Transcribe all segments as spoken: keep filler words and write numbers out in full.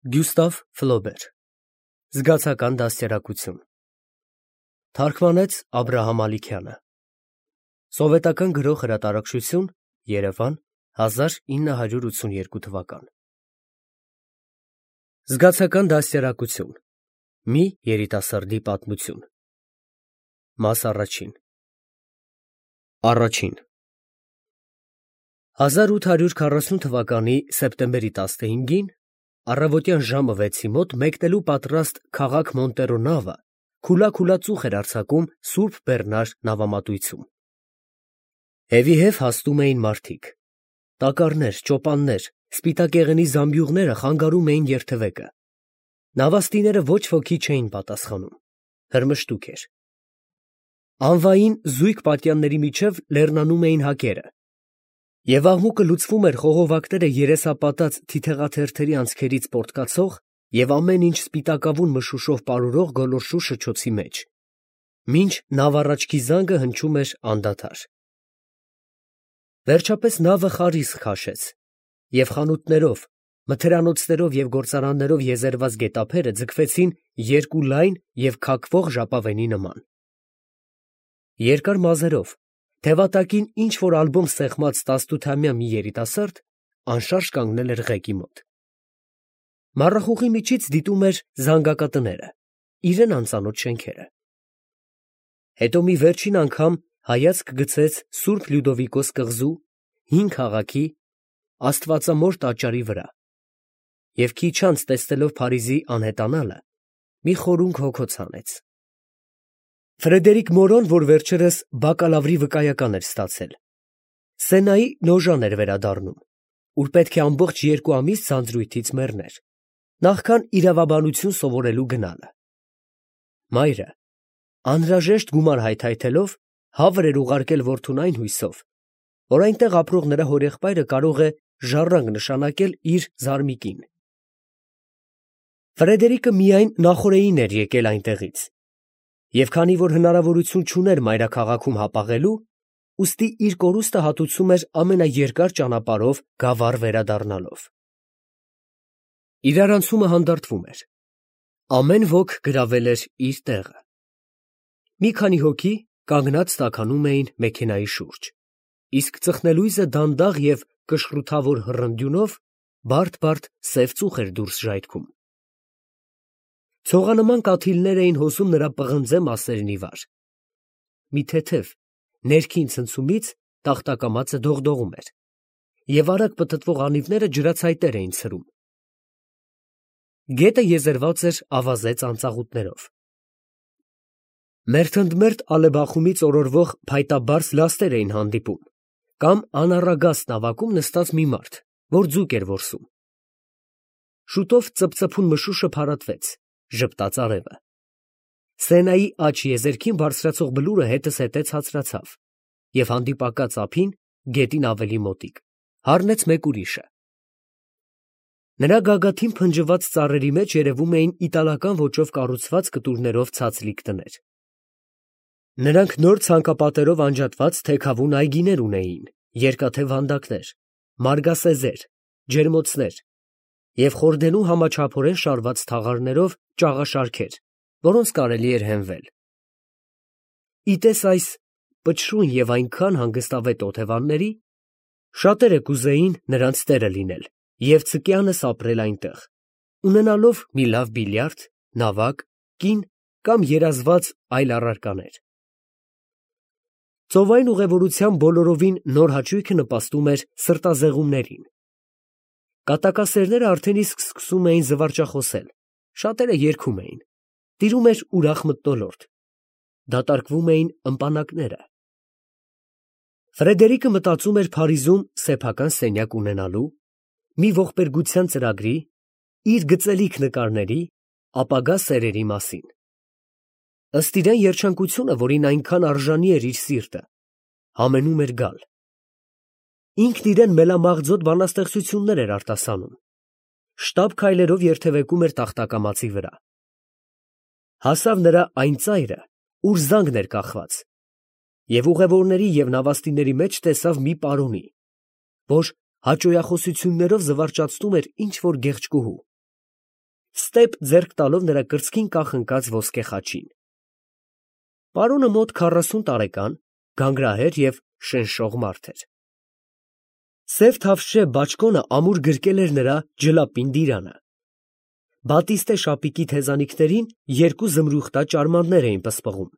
Գյուստավ Ֆլոբեր Զգացական դաստիարակություն Թարգմանեց Աբրահամ Ալիքյանը Սովետական գրող հրատարակչություն Երևան հազար ինը հարյուր ութսունուերկու թվական Զգացական դաստիարակություն Մի երիտասարդի պատմություն Մաս առաջին Առաջին հազար ութ հարյուր քառասուն թվականի սեպտեմբերի տասնհինգին առավոտյան ժամը վեցի մոտ մեկնելու պատրաստ քաղաք Մոնտերո նավը քուլա-քուլա ծուխ էր արձակում Սուրբ Բեռնար նավամատույցում։ Հևիհև հասնում էին մարդիկ։ Տակառներ, ճոպաններ, սպիտակեղենի զամբյուղները խանգարում էին երթևեկը։ Նավաստիները ոչ ոքի չէին պատասխանում։ Հրմշտուք էր։ Անվային զույգ պատյանների միջև լեռնանում էին հակերը։ Եվ աղմուկը լուծվում էր խողովակները երեսապատած թիթեղաթերթերի անցքերից պոռթկացող և ամեն ինչ սպիտակավուն մշուշով պարուրող գոլորշու շչոցի մեջ, մինչ նավառաջքի զանգը հնչում էր անդադար։ Վերջապես նավը խարիսկ քաշեց, և խանութներով, մթերանոցներով և գործարաններով եզերված գետափերը ձգվեցին երկու լայն և քաքվող ժապավենի նման։ Երկար մազերով, թևատակին ինչ֊որ ալբոմ սեղմած տասնութամյա մի երիտասարդ անշարժ կանգնել էր ղեկի մոտ։ Մառախուղի միջից դիտում էր զանգակատները, իրան անծանոթ շենքերը։ Հետո մի վերջին անգամ հայացք գցեց Սուրբ Լյուդովիկոս կղզու, հին քաղաքի, աստվածամոր տաճարի վրա և քիչ անց տեսնելով Փարիզի անհետանալը, մի խորունգ հոգոց հանեց։ Ֆրեդերիկ Մորոն, որ վերջերս բակալավրի վկայական էր ստացել, Սենայի նոժան էր վերադառնում, ուր պետք է ամբողջ երկու ամիս ձանձրույթից մեռներ, նախքան իրավաբանություն սովորելու գնալը։ Մայրը, անհրաժեշտ գումար հայթայթելով, հավր էր ուղարկել որդուն այն հույսով, որ այնտեղ ապրող նրա հորեղբայրը կարող է ժառանգ նշանակել իր զարմիկին։ Ֆրեդերիկը միայն նախօրեին էր եկել այնտեղից, և քանի որ հնարավորություն չուներ մայրաքաղաքում հապաղելու, ուստի իր կորուստը հատուցում էր ամենաերկար ճանապարհով գավառ վերադառնալով։ Իրարանցումը հանդարտվում էր։ Ամեն ոք գրավել էր իր տեղը։ Մի քանի հոգի կանգնած տաքանում էին մեքենայի շուրջ, իսկ ծխնելույզը դանդաղ և կշռութավոր հռնդյունով բարդ֊բարդ սև ծուխ էր դուրս ժայթքում։ Ցողանման կաթիլներ էին հոսում նրա պղնձե մասերն ի վար։ Մի թեթև, ներքին ցնցումից տախտակամածը դողդողում էր, և արագ պտտվող անիվները ջրացայտեր էին ցրում։ Գետը եզերված էր ավազե ծանծաղուտներով։ Մերթընդմերթ ալեբախումից օրորվող փայտաբարձ լաստեր էին հանդիպում, կամ անառագաստ նավակում նստած մի մարդ, որ ձուկ էր որսում։ Շուտով ծփծփուն մշուշը փարատվեց, ժպտաց արևը։ Սենայի աջ եզերքին բարձրացող բլուրը հետզհետե ցածրացավ, և հանդիպակաց ափին, գետին ավելի մոտիկ, հառնեց մեկ ուրիշը։ Նրա գագաթին փնջված ծառերի մեջ երևում էին իտալական ոճով կառուցված կտուրներով ցածլիկ տներ։ Նրանք նոր ցանկապատերով անջատված թեքավուն այգիներ ունեին, երկաթե վանդակներ, մարգասեզեր, ջերմոցներ և խորդենու համաչափորեն շարված թաղարներով ճաղաշարքեր, որոնց կարելի էր հենվել։ Ի տես այս պչռուն և այնքան հանգստավետ օթևանների, շատերը կուզեին նրանց տերը լինել և ցկյանս ապրել այնտեղ, ունենալով մի լավ բիլիարդ, նավակ, կին կամ երազված այլ առարկաներ։ Ծովային ուղևորության բոլորովին նոր հաճույքը նպաստում էր սրտազեղումներին։ Կատակասերները արդեն իսկ սկսում էին զվարճախոսել, շատերը երգում էին, տիրում էր ուրախ մթնոլորտ, դատարկվում էին ըմպանակները։ Ֆրեդերիկը մտածում էր Փարիզում սեփական սենյակ ունենալու, մի ողբերգության ծրագրի, իր գծելիք նկարների, ապագա սերերի մասին։ Ըստ իրան երջանկությունը, որին այնքան արժանի էր իր սիրտը, համենում էր գալ։ Ինքն իրան մելամաղձոտ բանաստեղծություններ էր արտասանում, շտապ քայլերով երթևեկում էր տախտակամածի վրա։ Հասավ նրա այն ծայրը, ուր զանգն էր կախված, և ուղևորների և նավաստիների մեջ տեսավ մի պարոնի, որ հաճոյախոսություններով զվարճացնում էր ինչ֊որ գեղեցկուհու։ ստեպ ձեռք տալով նրա կրծքին կախնկած ոսկե խաչին։ Պարոնը մոտ քառասուն տարեկան, գանգրահեր և շնշող մարդ էր։ Սև թավշյա բաճկոնը ամուր գրկել էր նրա ջլապին դիրանը։ Բատիստե շապիկի թեզանիքներին երկու զմրուխտա ճարմաններ էին պսպղում,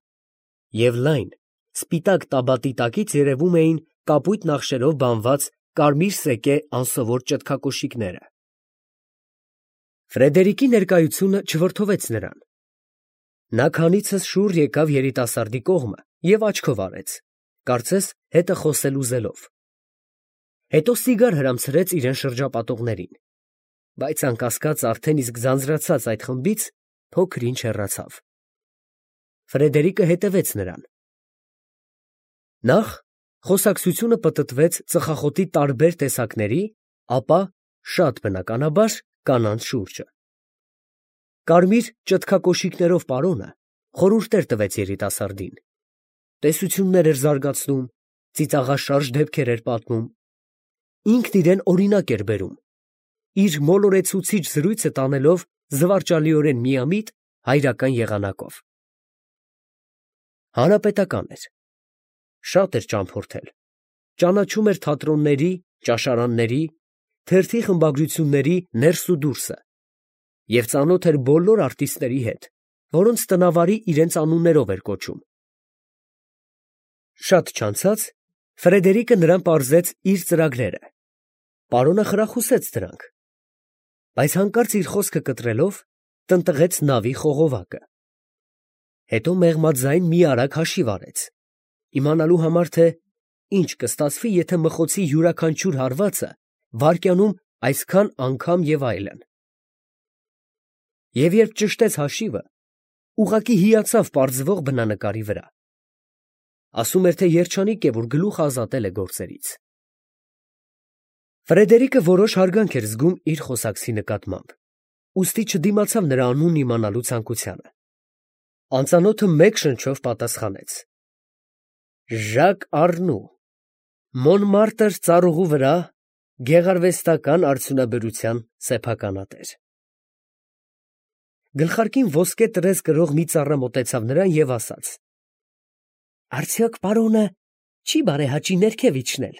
և լայն, սպիտակ տաբատի տակից երևում էին կապույտ նախշերով բանված կարմիր սեկե անսովոր ճտկակոշիկները։ Ֆրեդերիկի ներկայությունը չվրդովեց նրան։ Նա քանիցս շուռ եկավ երիտասարդի կողմը և աչքով արեց, կարծես հետը խոսել ուզելով։ Հետո սիգար հրամցրեց իրան շրջապատողներին, բայց անկասկած արդեն իսկ ձանձրացած այդ խմբից փոքր-ինչ հեռացավ։ Ֆրեդերիկը հետևեց նրան։ Նախ խոսակցությունը պտտվեց ծխախոտի տարբեր տեսակների, ապա, շատ բնականաբար, կանանց շուրջը։ Կարմիր ճտկակոշիկներով պարոնը խորհուրդներ տվեց երիտասարդին, տեսություններ էր զարգացնում, ծիծաղաշարժ դեպքեր էր պատմում, ինքն իրեն օրինակ էր բերում, իր մոլորեցուցիչ զրույցը տանելով զվարճալիորեն միամիտ հայրական եղանակով։ Հանրապետական էր, շատ էր ճամփորդել, ճանաչում էր թատրոնների, ճաշարանների, թերթի խմբագրությունների ներս ու դուրսը և ծանոթ էր բոլոր արտիստների հետ, որոնց տնավարի իրենց անուններով էր կոչում։ Շատ չանցած Ֆրեդերիկը նրան պարզեց իր ծրագրերը, պարոնը խրախուսեց դրանք, բայց հանկարծ իր խոսքը կտրելով տնտղեց նավի խողովակը։ Հետո մեղմաձայն մի արագ հաշիվ արեց, իմանալու համար, թե ինչ կստացվի, եթե մխոցի յուրաքանչյուր հարվածը վայրկյանում այսքան անգամ և այլն։ Եվ երբ ճշտեց հաշիվը, ուղղակի հիացավ պարզվող բնանկարի վրա։ Ասում էր, թե երջանիկ է, որ գլուխ ազատել է գործերից։ Ֆրեդերիկը որոշ հարգանք էր զգում իր խոսակցի նկատմամբ, ուստի չդիմացավ նրա անունն իմանալու ցանկությանը։ Անծանոթը մեկ շնչով պատասխանեց. Ժակ Առնու, Մոնմարտր ծառուղու վրա գեղարվեստական արդյունաբերության սեփականատեր։ Գլխարկին ոսկե տրես կրող մի ծառա մոտեցավ նրան և ասաց. Արդյոք պարոնը չի բարեհաճի ներքև իջնել,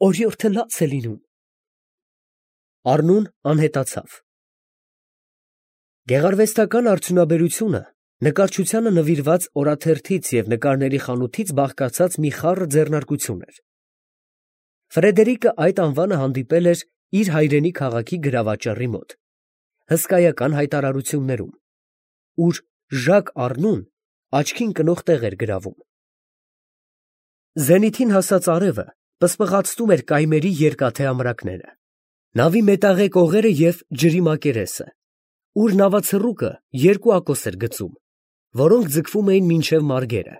օրիորդը լաց է լինում։ Առնուն անհետացավ։ Գեղարվեստական արդյունաբերությունը նկարչությանը նվիրված օրաթերթից և նկարների խանութից բաղկացած մի խառը ձեռնարկություն էր։ Ֆրեդերիկը այդ անվանը հանդիպել էր իր հայրենի քաղաքի գրավաճառի մոտ, հսկայական հայտարարություններում, ուր Ժակ Առնուն աչքին կնող տեղ էր գրավում։ Զենիթին հասած արևը պսպղացնում էր կայմերի երկաթե ամրակները, նավի մետաղե կողերը և ջրի մակերեսը, ուր նավացռուկը երկու ակոս էր գծում, որոնք ձգվում էին մինչև մարգերը։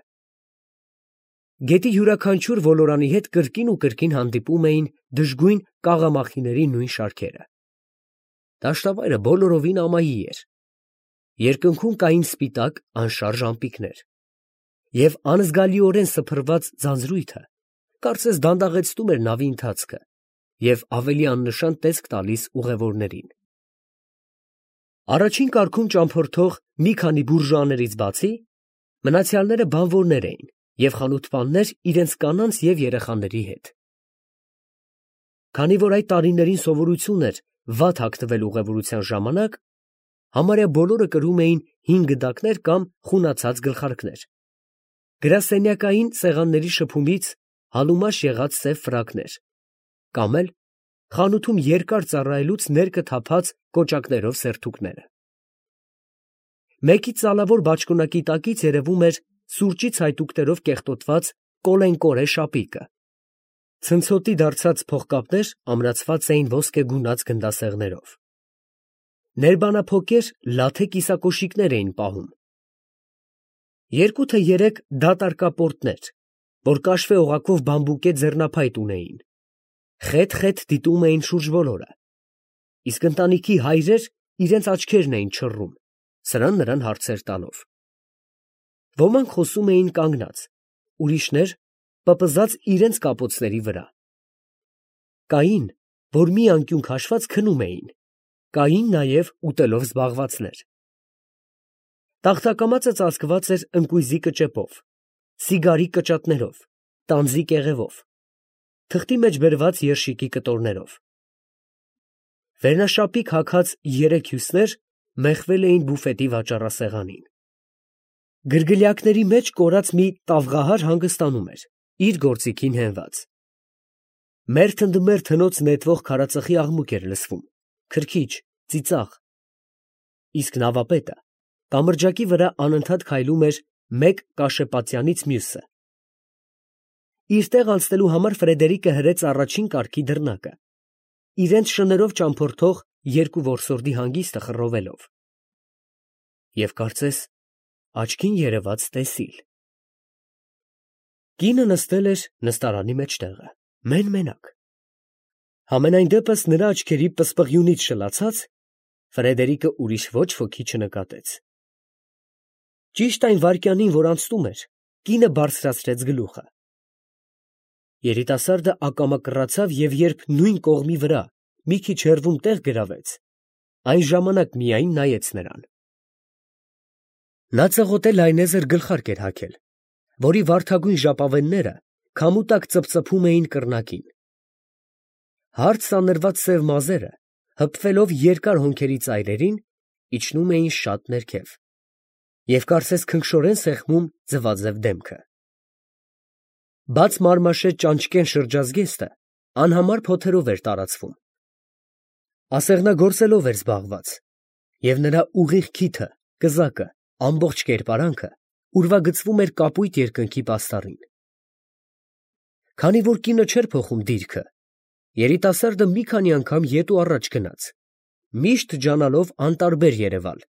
Գետի յուրաքանչյուր ոլորանի հետ կրկին ու կրկին հանդիպում էին դժգույն կաղամախիների նույն շարքերը։ Դաշտավայրը բոլորովին ամայի էր, երկնքում կային սպիտակ անշարժ ամպիկներ, և անզգալիորեն սփռված ձանձրույթը կարծես դանդաղեցնում էր նավի ընթացքը և ավելի աննշան տեսք տալիս ուղևորներին։ Առաջին կարգում ճամփորդող մի քանի բուրժուաներից բացի, մնացյալները բանվորներ էին և խանութպաններ իրենց կանանց և երեխաների հետ։ Քանի որ այդ տարիներին սովորություն էր վատ հագնվել ուղևորության ժամանակ, համարյա բոլորը կրում էին հին գդակներ կամ խունացած գլխարկներ, գրասենյակային սեղանների շփումից հալումաշ եղած սև ֆրակներ, կամ էլ խանութում երկար ծառայելուց ներկը թափած կոճակներով սերթուկները։ Մեկի ծալավոր բաճկոնակի տակից երևում էր սուրճի ցայտուկներով կեղտոտված կոլենկորե շապիկը, ցնցոտի դարձած փողկապներ ամրացված էին ոսկե գունած գնդասեղներով։ Ներբանափոկեր լաթե կիսակոշիկներ էին պահում։ Երկու թե երեք դատարկապորտներ, որ կաշվե օղակով բամբուկե ձեռնափայտ ունեին, խետ֊խետ դիտում էին շուրջ բոլորը, իսկ ընտանիքի հայրեր իրենց աչքերն էին չռում, սրան֊նրան հարցեր տալով։ Ոմանք խոսում էին կանգնած, ուրիշներ պպզած իրենց կապոցների վրա։ Կային, որ մի անկյուն քաշված քնում էին, կային նաև ուտելով զբաղվածներ։ Տախտակամածը ծածկված էր ընկույզի կճեպով, սիգարի կճատներով, տանձի կեղևով, թղթի մեջ բերված երշիկի կտորներով։ Վերնաշապիկ հագած երեք հյուսներ մեխվել էին բուֆետի վաճառասեղանին։ Գրգլյակների մեջ կորած մի տավղահար հանգստանում էր, իր գործիքին հենված։ Մերթ ընդ մերթ հնոց նետվող քարածխի աղմուկ էր լսվում, քրքիջ, ծիծաղ։ Իսկ նավապետը կամրջակի վրա անընդհատ քայլում էր մեկ կաշեպատյանից մյուսը։ Իր տեղ անցնելու համար Ֆրեդերիկը հրեց առաջին կարգի դռնակը, իրենց շներով ճամփորդող երկու որսորդի հանգիստը խռովելով։ Եվ կարծես աչքին երևաց տեսիլ։ Կինը նստել էր նստարանի մեջտեղը, մեն֊մենակ։ Համենայն դեպս նրա աչքերի պսպղյունից շլացած Ֆրեդերիկը ուրիշ ոչ ոքի չնկատեց։ Ճիշտ այն վայրկյանին, որ անցնում էր, կինը բարձրացրեց գլուխը։ Երիտասարդը ակամա կռացավ և երբ նույն կողմի վրա մի քիչ հեռվում տեղ գրավեց, այն ժամանակ միայն նայեց նրան։ Նա ծղոտե լայնեզր գլխարկ էր հագել, որի վարդագույն ժապավենները քամու տակ ծպծփում էին կռնակին։ Հարթ սանրված սև մազերը, հպվելով երկար հոնքերի ծայրերին, իջնում էին շատ ներքև և կարծես քնքշորեն սեղմում ձվաձև դեմքը։ Բաց մարմաշե ճանճկեն շրջազգեստը անհամար փոթերով էր տարածվում։ Ասեղնագործելով էր զբաղված, և նրա ուղիղ քիթը, կզակը, ամբողջ կերպարանքը ուրվագծվում էր կապույտ երկնքի պաստառին։ Քանի որ կինը չէր փոխում դիրքը, երիտասարդը մի քանի անգամ ետ ու առաջ գնաց, միշտ ջանալով անտարբեր երևալ։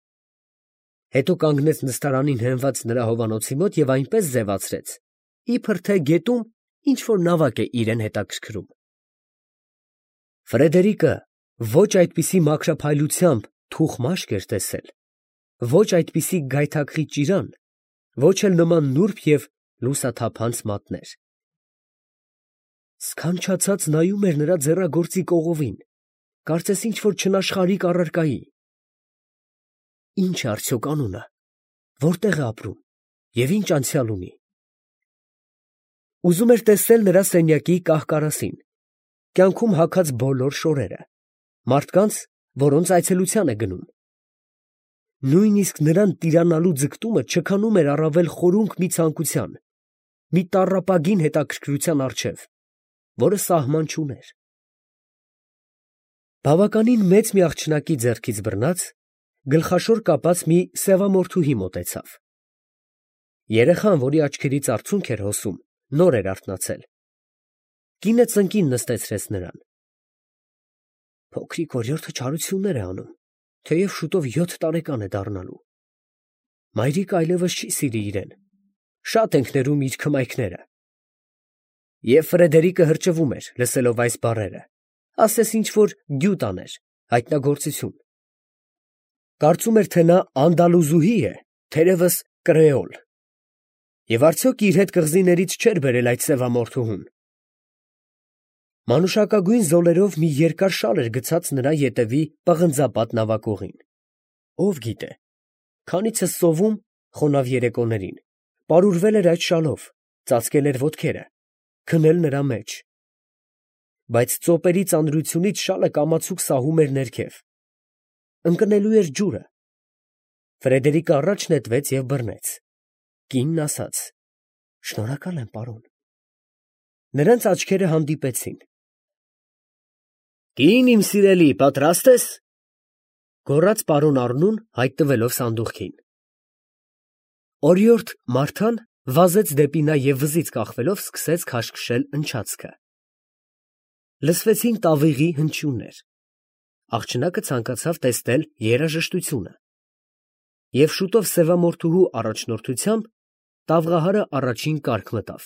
Հետո կանգնեց նստարանին հենված նրա հովանոցի մոտ և այնպես ձևացրեց, իբր թե գետում ինչ֊որ նավակ է իրան հետաքրքրում։ Ֆրեդերիկը ոչ այդպիսի մաքրափայլությամբ թուխ մաշկ էր տեսել, ոչ այդպիսի գայթակղի ճիրան, ոչ էլ նման նուրբ և լուսաթափանց մատներ։ Սքանչացած նայում էր նրա ձեռագործի կողովին, կարծես ինչ֊որ չնաշխարհիկ առարկայի։ Ի՞նչ է արդյոք անունը, որտեղ է ապրում և ի՞նչ անցյալ ունի։ Ուզում էր տեսնել նրա սենյակի կահ֊կարասին, կյանքում հագած բոլոր շորերը, մարդկանց, որոնց այցելության է գնում։ Նույնիսկ նրան տիրանալու ձգտումը չքանում էր առավել խորունկ մի ցանկության, մի տառապագին հետաքրքրության առջև, որը սահման չուներ։ Բավականին մեծ մի աղջնակի ձեռքից բռնած, գլխաշոր կապած մի սևամորթուհի մոտեցավ։ Երեխան, որի աչքերից արցունք էր հոսում, նոր էր արթնացել։ Կինը ծնկին նստեցրեց նրան։ Փոքրիկ օրիորդը չարություններ է անում, թեև շուտով յոթ տարեկան է դառնալու։ Մայրիկը այլևս չի սիրի իրեն, շատ ենք ներում իր քմայքները։ Եվ Ֆրեդերիկը հրճվում էր, լսելով այս բառերը, ասես ինչ֊որ գյուտ աներ, հայտնագործություն։ Կարծում էր, թե նա անդալուզուհի է, թերևս կրեոլ։ Եվ արդյոք իր հետ կղզիներից չէր բերել այդ սևամորթուհուն։ Մանուշակագույն զոլերով մի երկար շալ էր գցած նրա ետևի պղնձապատ նավակուղին։ Ով գիտե, քանիցս սովում, խոնավ երեկոներին, պարուրվել էր այդ շալով, ծածկել էր ոտքերը, քնել նրա մեջ։ Բայց ծոպերի ծանրությունից շալը կամացուկ սահում էր ներքև։ Ընկնելու էր ջուրը։ Ֆրեդերիկը առաջ նետվեց և բռնեց։ Կինն ասաց. «Շնորհակալ եմ, պարոն»։ Նրանց աչքերը հանդիպեցին։ «Կին իմ սիրելի, պատրաստ ե՞ս», գոռաց պարոն Առնուն, հայտնվելով սանդուղքին։ Օրիորդ Մարթան վազեց դեպի նա և վզից կախվելով սկսեց քաշքշել ընչացքը։ Լսվեցին տավիղի հնչյուններ։ Աղջնակը ցանկացավ տեսնել երաժշտությունը։ Եվ շուտով սևամորթուհու առաջնորդությամբ տավղահարը առաջին կարգ մտավ։